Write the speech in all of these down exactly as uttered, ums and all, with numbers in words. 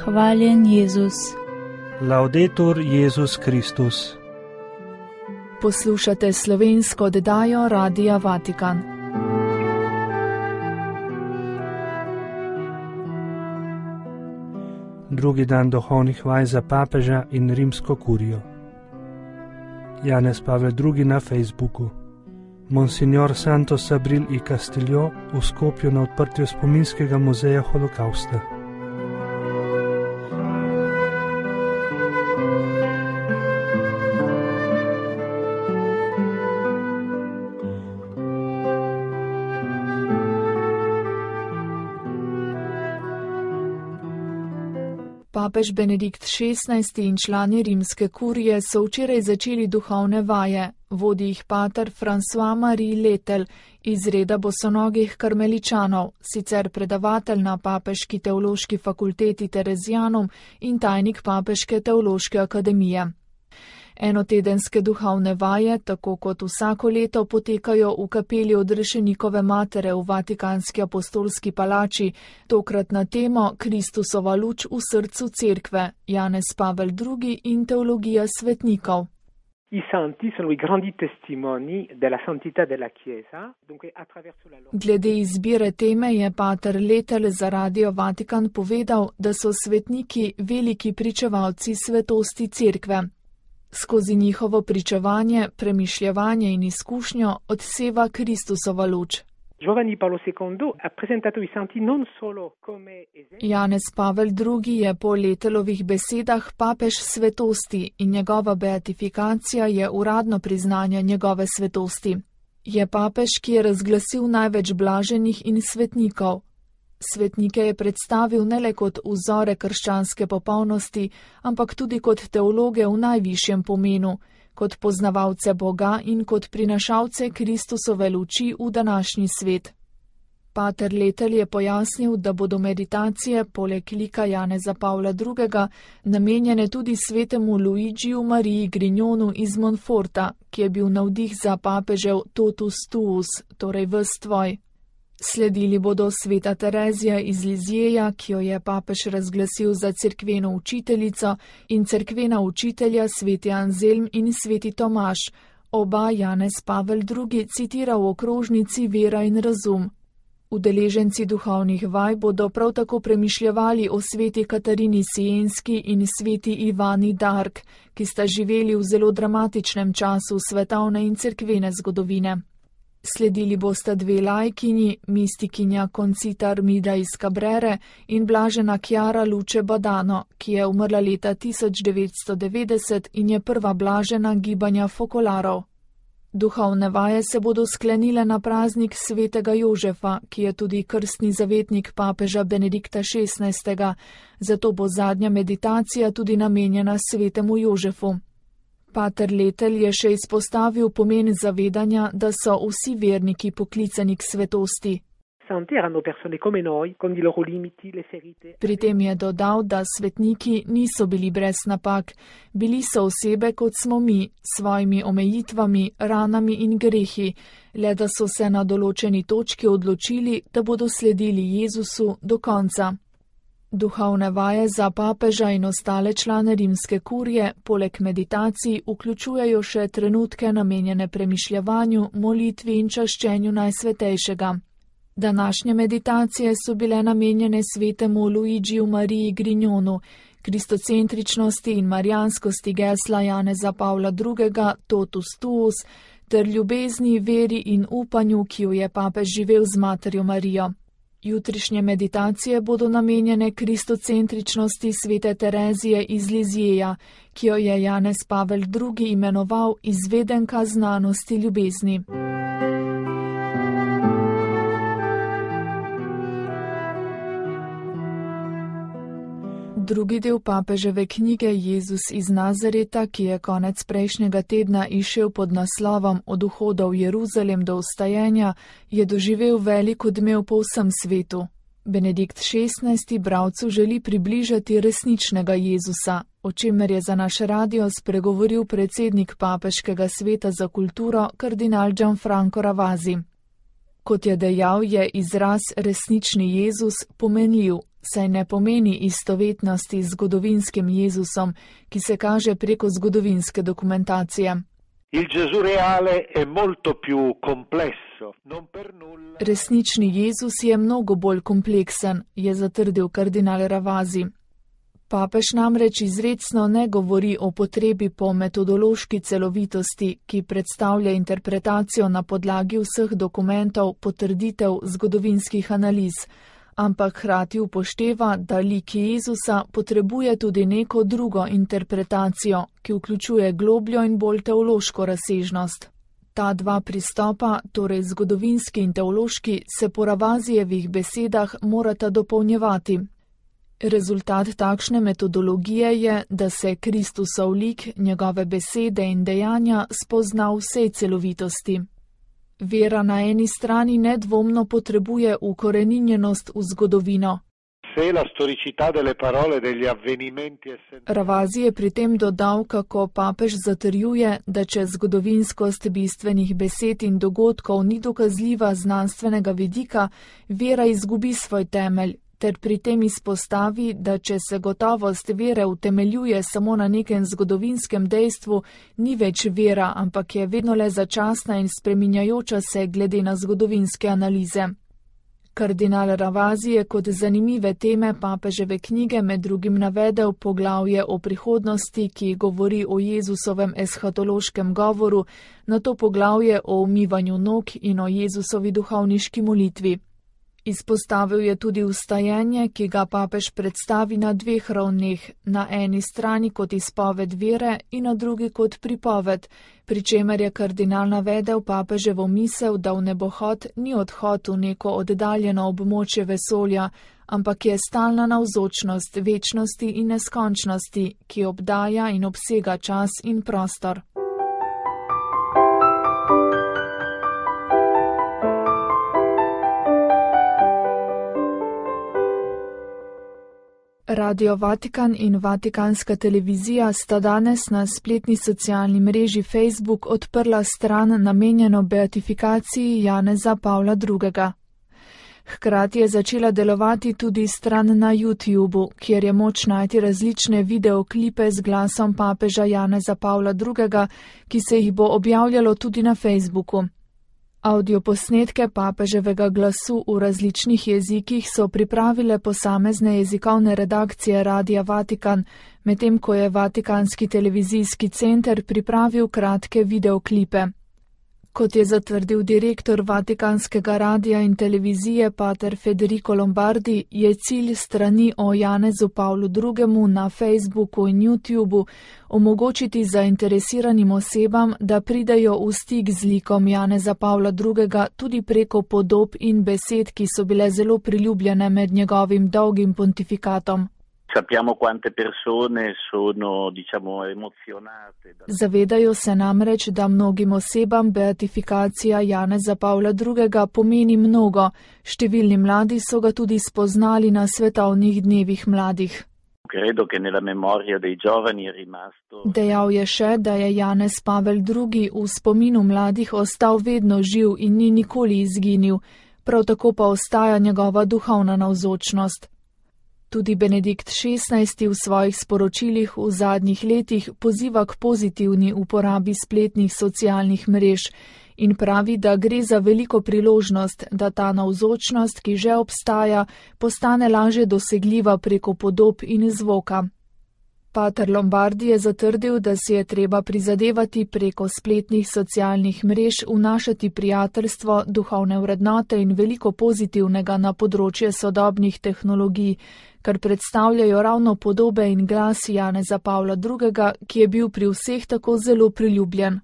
Hvaljen Jezus. Laudetur Jezus Kristus. Poslušate slovensko oddajo Radia Vatikan. Drugi dan duhovnih vaj za papeža in rimsko kurijo. Janez Pavel drugi na Facebooku. Monsignor Santos Abril i Castillo v Skopju na odprtju spominskega muzeja holokausta. Papež Benedikt šestnajsti in člani rimske kurije so včeraj začeli duhovne vaje, vodi jih pater François-Marie Letel iz reda bosonogih karmeličanov, sicer predavatelj na Papeški teološki fakulteti Terezijanum in tajnik Papeške teološke akademije. Enotedenske duhovne vaje, tako kot vsako leto, potekajo v kapeli Odrešenikove matere v Vatikanski apostolski palači, tokrat na temo Kristusova luč v srcu cerkve, Janez Pavel drugi in teologija svetnikov. I santi sono i grandi testimoni della santità della Chiesa. Dunque, attraverso la loro... Glede izbire teme je pater Letel za Radio Vatikan povedal, da so svetniki veliki pričevalci svetosti cerkve. Skozi njihovo pričevanje, premišljevanje in izkušnjo odseva Kristusova luč. Giovanni Paolo secondo ha presentato i santi non solo come esempio. Janez Pavel drugi je po Letelovih besedah papež svetosti in njegova beatifikacija je uradno priznanje njegove svetosti. Je papež, ki je razglasil največ blaženih in svetnikov. Svetnike je predstavil ne le kot vzore krščanske popolnosti, ampak tudi kot teologe v najvišjem pomenu, kot poznavalce Boga in kot prinašalce Kristusove luči v današnji svet. Pater Letel je pojasnil, da bodo meditacije poleg lika Janeza Pavla drugega namenjene tudi svetemu Luigiju Mariji Grignonu iz Monforta, ki je bil navdih za papežev totus tuus, torej ves tvoj. Sledili bodo sveta Terezija iz Lizjeja, ki jo je papež razglasil za cerkveno učiteljico, in cerkvena učitelja sveti Anzelm in sveti Tomaž, oba Janez Pavel drugi citira v okrožnici Vera in razum. Udeleženci duhovnih vaj bodo prav tako premišljevali o sveti Katarini Sienski in sveti Ivani Dark, ki sta živeli v zelo dramatičnem času svetovne in cerkvene zgodovine. Sledili bosta dve lajkinji, mistikinja Concita Armida iz Cabrere in blažena Chiara Luce Badano, ki je umrla leta tisoč devetsto devetdeset in je prva blažena gibanja fokolarov. Duhovne vaje se bodo sklenile na praznik svetega Jožefa, ki je tudi krstni zavetnik papeža Benedikta šestnajstega, zato bo zadnja meditacija tudi namenjena svetemu Jožefu. Pater Letel je še izpostavil pomen zavedanja, da so vsi verniki poklicani k svetosti. Pri tem je dodal, da svetniki niso bili brez napak, bili so osebe kot smo mi, s svojimi omejitvami, ranami in grehi, le da so se na določeni točki odločili, da bodo sledili Jezusu do konca. Duhovne vaje za papeža in ostale člane rimske kurije, poleg meditacij, vključujejo še trenutke namenjene premišljevanju, molitvi in čaščenju Najsvetejšega. Današnje meditacije so bile namenjene svetemu Luigiju Mariji Grignonu, kristocentričnosti in marijanskosti gesla Janeza Pavla drugega totus tuus ter ljubezni, veri in upanju, ki jo je papež živel z materjo Marijo. Jutrišnje meditacije bodo namenjene kristocentričnosti svete Terezije iz Lizjeja, ki jo je Janez Pavel drugi imenoval izvedenka znanosti ljubezni. Drugi del papeževe knjige Jezus iz Nazareta, ki je konec prejšnjega tedna izšel pod naslovom Od vhoda v Jeruzalem do vstajenja, je doživel velik odmev po vsem svetu. Benedikt šestnajsti bralcu želi približati resničnega Jezusa, o čemer je za naš radio spregovoril predsednik Papeškega sveta za kulturo kardinal Gianfranco Ravasi. Kot je dejal, je izraz resnični Jezus pomenljiv, saj ne pomeni istovetnosti z zgodovinskim Jezusom, ki se kaže preko zgodovinske dokumentacije. Il Gesù reale è molto più complesso, non per nulla. Resnični Jezus je mnogo bolj kompleksen, je zatrdil kardinal Ravasi. Papež namreč izrecno ne govori o potrebi po metodološki celovitosti, ki predstavlja interpretacijo na podlagi vseh dokumentov, potrditev zgodovinskih analiz, ampak hkrati upošteva, da lik Jezusa potrebuje tudi neko drugo interpretacijo, ki vključuje globljo in bolj teološko razsežnost. Ta dva pristopa, torej zgodovinski in teološki, se po Ravasijevih besedah morata dopolnjevati. Rezultat takšne metodologije je, da se Kristusov lik, njegove besede in dejanja spozna v vsej celovitosti. Vera na eni strani nedvomno potrebuje ukoreninjenost v zgodovino. Ravasi je pri tem dodal, kako papež zatrjuje, da če zgodovinskost bistvenih besed in dogodkov ni dokazljiva znanstvenega vidika, vera izgubi svoj temelj, ter pri tem izpostavi, da če se gotovost vere utemeljuje samo na nekem zgodovinskem dejstvu, ni več vera, ampak je vedno le začasna in spreminjajoča se glede na zgodovinske analize. Kardinal Ravasi je kot zanimive teme papeževe knjige med drugim navedel poglavje o prihodnosti, ki govori o Jezusovem eshatološkem govoru, na to poglavje o umivanju nog in o Jezusovi duhovniški molitvi. Izpostavil je tudi vstajenje, ki ga papež predstavi na dveh ravneh, na eni strani kot izpoved vere in na drugi kot pripoved, pri čemer je kardinal navedel papeževo misel, da v nebohod ni odhod v neko oddaljeno območje vesolja, ampak je stalna navzočnost večnosti in neskončnosti, ki obdaja in obsega čas in prostor. Radio Vatikan in Vatikanska televizija sta danes na spletni socialni mreži Facebook odprla stran namenjeno beatifikaciji Janeza Pavla drugega. Hkrati je začela delovati tudi stran na YouTubu, kjer je moč najti različne videoklipe z glasom papeža Janeza Pavla drugega, ki se jih bo objavljalo tudi na Facebooku. Audioposnetke papeževega glasu v različnih jezikih so pripravile posamezne jezikovne redakcije Radia Vatikan, medtem ko je Vatikanski televizijski center pripravil kratke videoklipe. Kot je zatrdil direktor Vatikanskega radia in televizije pater Federico Lombardi, je cilj strani o Janezu Pavlu drugemu na Facebooku in YouTubu omogočiti zainteresiranim osebam, da pridejo v stik z likom Janeza Pavla drugega tudi preko podob in besed, ki so bile zelo priljubljene med njegovim dolgim pontifikatom. Sappiamo quante persone sono, diciamo, emozionate. Zavedajo se namreč, da mnogim osebam beatifikacija Janeza Pavla drugega pomeni mnogo. Številni mladi so ga tudi spoznali na svetovnih dnevih mladih. Credo che nella memoria dei giovani è rimasto. Dejal je še, da je Janez Pavel drugi v spominu mladih ostal vedno živ in ni nikoli izginil, prav tako pa ostaja njegova duhovna navzočnost. Tudi Benedikt šestnajsti v svojih sporočilih v zadnjih letih poziva k pozitivni uporabi spletnih socialnih mrež in pravi, da gre za veliko priložnost, da ta navzočnost, ki že obstaja, postane lažje dosegljiva preko podob in zvoka. Pater Lombardi je zatrdil, da si je treba prizadevati preko spletnih socialnih mrež vnašati prijateljstvo, duhovne vrednote in veliko pozitivnega na področje sodobnih tehnologij, kar predstavljajo ravno podobe in glas Janeza Pavla drugega, ki je bil pri vseh tako zelo priljubljen.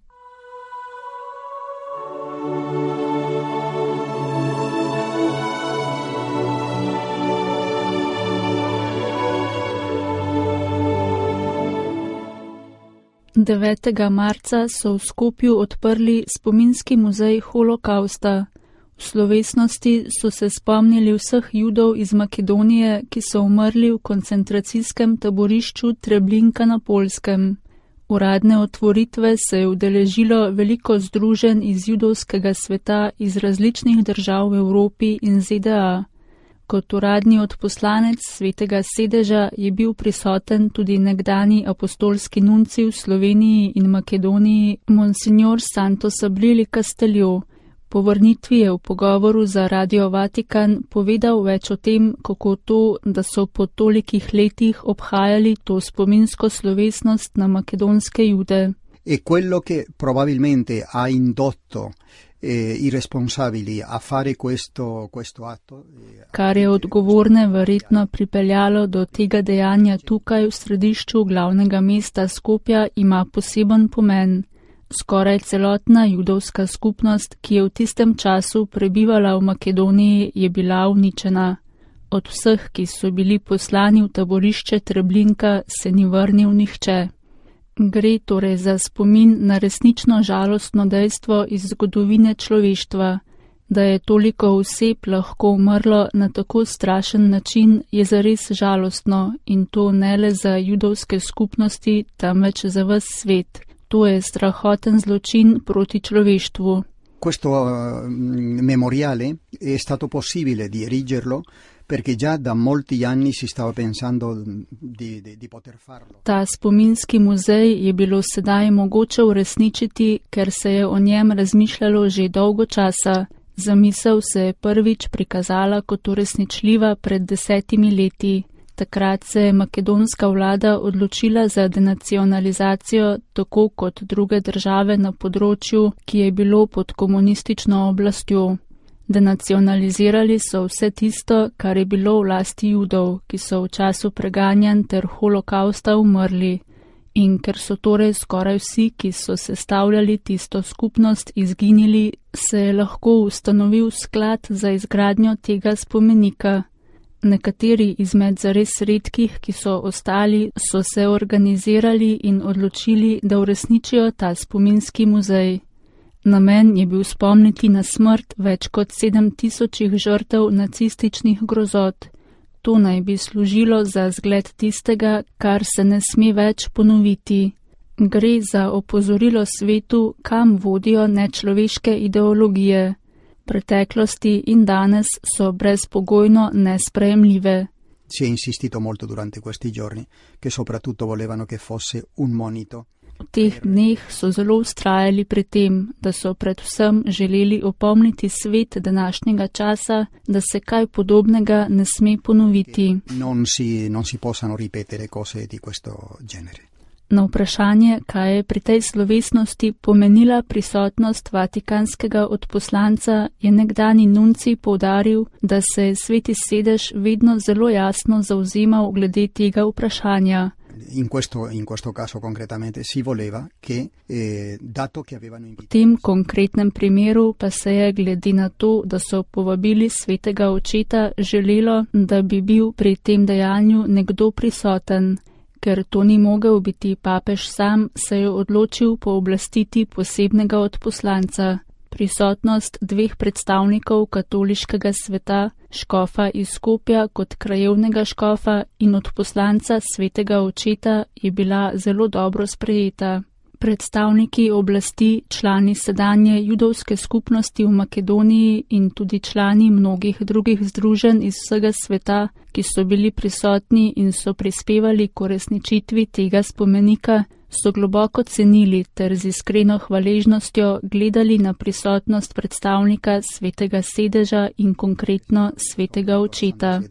devetega marca so v Skopju odprli spominski muzej holokausta. V slovesnosti so se spomnili vseh Judov iz Makedonije, ki so umrli v koncentracijskem taborišču Treblinka na Poljskem. Uradne otvoritve se je udeležilo veliko združenj iz judovskega sveta iz različnih držav v Evropi in Z D A. Kot uradni odposlanec Svetega sedeža je bil prisoten tudi nekdani apostolski nunci v Sloveniji in Makedoniji, monsignor Santo Sabril Castello. Po vrnitvi je v pogovoru za Radio Vatikan povedal več o tem, kako to, da so po tolikih letih obhajali to spominsko slovesnost na makedonske Jude. E quello che probabilmente ha indotto eh, i responsabili a fare questo, questo atto. Eh, Kar je odgovorne verjetno pripeljalo do tega dejanja tukaj v središču glavnega mesta Skopja, ima poseben pomen. Skoraj celotna judovska skupnost, ki je v tistem času prebivala v Makedoniji, je bila uničena. Od vseh, ki so bili poslani v taborišče Treblinka, se ni vrnil nihče. Gre torej za spomin na resnično žalostno dejstvo iz zgodovine človeštva. Da je toliko oseb lahko umrlo na tako strašen način, je zares žalostno, in to ne le za judovske skupnosti, temveč za ves svet. To je strahoten zločin proti človeštvu. Questo uh, memoriale è stato possibile di erigerlo perché già da molti anni si stava pensando di, di, di poter farlo. Ta spominski muzej je bilo sedaj mogoče uresničiti, ker se je o njem razmišljalo že dolgo časa. Zamisel se je prvič prikazala kot uresničljiva pred desetimi leti. Takrat se je makedonska vlada odločila za denacionalizacijo, tako kot druge države na področju, ki je bilo pod komunistično oblastjo. Denacionalizirali so vse tisto, kar je bilo v lasti Judov, ki so v času preganjanj ter holokausta umrli. In ker so torej skoraj vsi, ki so sestavljali tisto skupnost, izginili, se je lahko ustanovil sklad za izgradnjo tega spomenika. Nekateri izmed zares redkih, ki so ostali, so se organizirali in odločili, da uresničijo ta spominski muzej. Namen je bil spomniti na smrt več kot sedem tisočih žrtev nacističnih grozot. To naj bi služilo za zgled tistega, kar se ne sme več ponoviti. Gre za opozorilo svetu, kam vodijo nečloveške ideologije. Preteklosti in danes so brezpogojno nesprejemljive. Si è insistito molto durante questi giorni che soprattutto volevano che fosse un monito. V teh dneh so zelo ustrajali pri tem, da so predvsem želeli opomniti svet današnjega časa, da se kaj podobnega ne sme ponoviti. Non si, non si possano ripetere cose di questo genere. Na vprašanje, kaj je pri tej slovesnosti pomenila prisotnost vatikanskega odposlanca, je nekdani nunci poudaril, da se je Sveti sedež vedno zelo jasno zavzemal glede tega vprašanja. In questo, in questo caso concretamente si voleva che, eh, dato che avevano invitato... V tem konkretnem primeru pa se je glede na to, da so povabili svetega očeta, želelo, da bi bil pri tem dejanju nekdo prisoten. Ker to ni mogel biti papež sam, se je odločil pooblastiti posebnega odposlanca. Prisotnost dveh predstavnikov katoliškega sveta, škofa iz Skopja kot krajevnega škofa in odposlanca svetega očeta, je bila zelo dobro sprejeta. Predstavniki oblasti, člani sedanje judovske skupnosti v Makedoniji in tudi člani mnogih drugih združenj iz vsega sveta, ki so bili prisotni in so prispevali k uresničitvi tega spomenika, so globoko cenili ter z iskreno hvaležnostjo gledali na prisotnost predstavnika Svetega sedeža in konkretno Svetega očeta.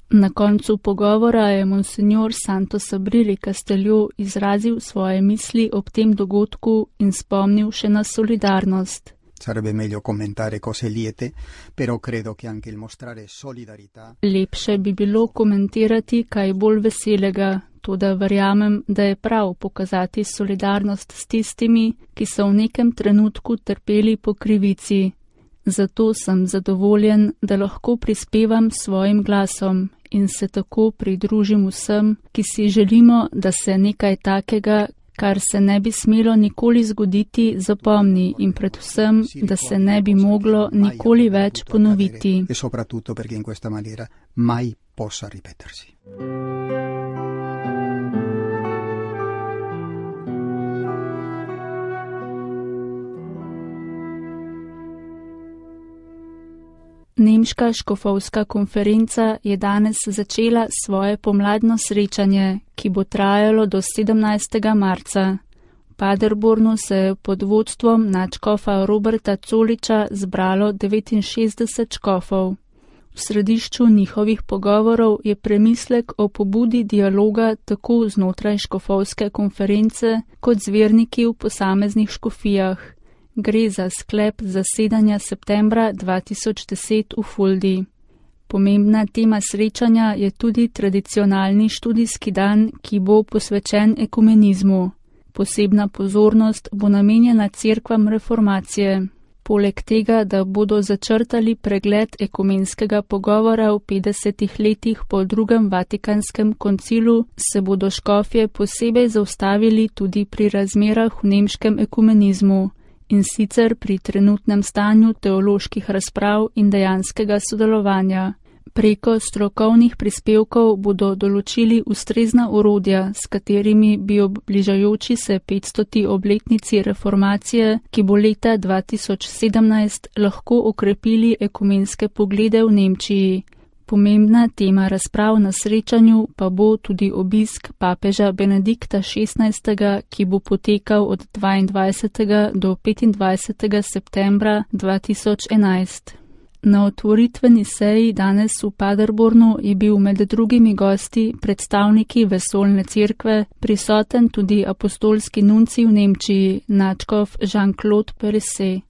Na koncu pogovora je monsignor Santo Sabril Castello izrazil svoje misli ob tem dogodku in spomnil še na solidarnost. Sarebbe meglio commentare cose liete, però credo che anche il mostrare solidarietà... Lepše bi bilo komentirati kaj bolj veselega, toda verjamem, da je prav pokazati solidarnost s tistimi, ki so v nekem trenutku trpeli po krivici. Zato sem zadovoljen, da lahko prispevam svojim glasom in se tako pridružim vsem, ki si želimo, da se nekaj takega, kar se ne bi smelo nikoli zgoditi, zapomni in predvsem, da se ne bi moglo nikoli več ponoviti. E soprattutto perché in questa maniera mai possa ripetersi. Nemška škofovska konferenca je danes začela svoje pomladno srečanje, ki bo trajalo do sedemnajstega marca. V Paderbornu se je pod vodstvom nadškofa Roberta Coliča zbralo devetinšestdeset škofov. V središču njihovih pogovorov je premislek o pobudi dialoga tako znotraj škofovske konference kot z verniki v posameznih škofijah. Gre za sklep zasedanja septembra dva tisoč deset v Fuldi. Pomembna tema srečanja je tudi tradicionalni študijski dan, ki bo posvečen ekumenizmu. Posebna pozornost bo namenjena cerkvam reformacije. Poleg tega, da bodo začrtali pregled ekumenskega pogovora v petdesetih letih po drugem Vatikanskem koncilu, se bodo škofje posebej zaustavili tudi pri razmerah v nemškem ekumenizmu, in sicer pri trenutnem stanju teoloških razprav in dejanskega sodelovanja. Preko strokovnih prispevkov bodo določili ustrezna orodja, s katerimi bi ob bližajoči se petstoti obletnici reformacije, ki bo leta dva tisoč sedemnajst, lahko okrepili ekumenske poglede v Nemčiji. Pomembna tema razprav na srečanju pa bo tudi obisk papeža Benedikta šestnajstega, ki bo potekal od dvaindvajsetega do petindvajsetega septembra dva tisoč enajst. Na otvoritveni seji danes v Paderbornu je bil med drugimi gosti predstavniki vesoljne cerkve, prisoten tudi apostolski nuncij v Nemčiji, nadškof Jean-Claude Perisset.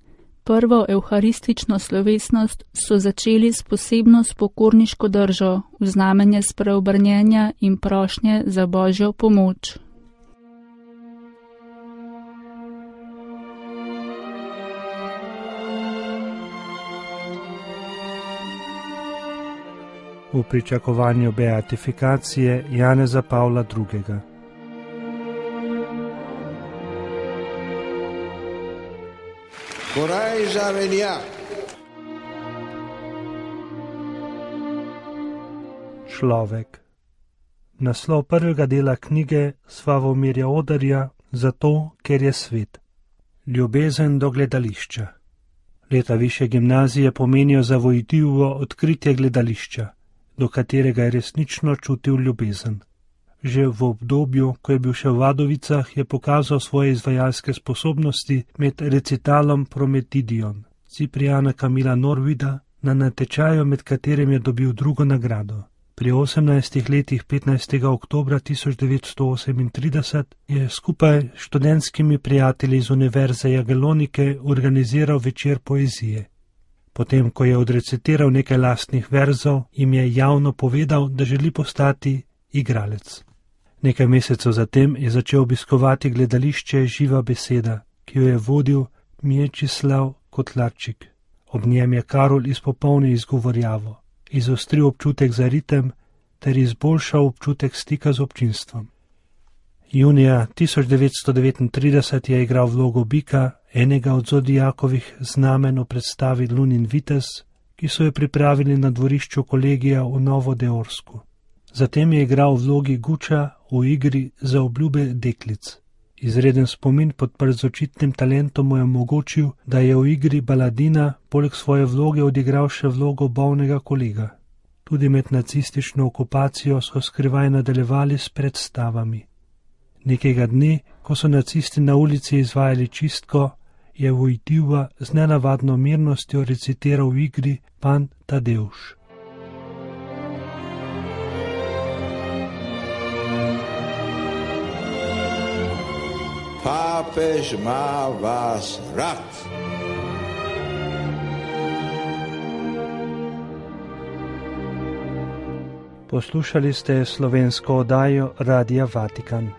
Prvo evharistično slovesnost so začeli s posebno spokorniško držo, v znamenje spreobrnjenja in prošnje za božjo pomoč. V pričakovanju beatifikacije Janeza Pavla drugega. Človek. Naslov prvega dela knjige Slavomirja Odarja, Zato, ker je svet. Ljubezen do gledališča. Leta višje gimnazije pomenijo zavojitivo odkritje gledališča, do katerega je resnično čutil ljubezen. Že v obdobju, ko je bil še v Vadovicah, je pokazal svoje izvajalske sposobnosti med recitalom Prometidion Ciprijana Kamila Norvida na natečaju, med katerim je dobil drugo nagrado. Pri osemnajstih letih petnajstega oktobra tisoč devetsto osemintrideset je skupaj s študentskimi prijatelji iz Univerze Jagelonike organiziral večer poezije. Potem, ko je odrecitiral nekaj lastnih verzov, jim je javno povedal, da želi postati igralec. Nekaj mesecev zatem je začel obiskovati gledališče Živa beseda, ki jo je vodil Mječislav Kotlarčik. Ob njem je Karol izpopolnil izgovorjavo, izostril občutek za ritem ter izboljšal občutek stika z občinstvom. Junija tisoč devetsto devetintrideset je igral vlogo bika, enega od zodijakovih znamen v predstavi Lunin vitez, ki so jo pripravili na dvorišču kolegija v Novodeorsku. Zatem je igral v vlogi Guča v igri Za obljube deklic. Izreden spomin podprt z očitnim talentom mu je omogočil, da je v igri Baladina poleg svoje vloge odigral še vlogo bolnega kolega. Tudi med nacistično okupacijo so skrivaj nadaljevali s predstavami. Nekega dne, ko so nacisti na ulici izvajali čistko, je Vojtiva z nenavadno mirnostjo recitiral v igri Pan Tadeusz. Papež má vás rad. Poslušali ste slovensko oddajo Radia Vatikan.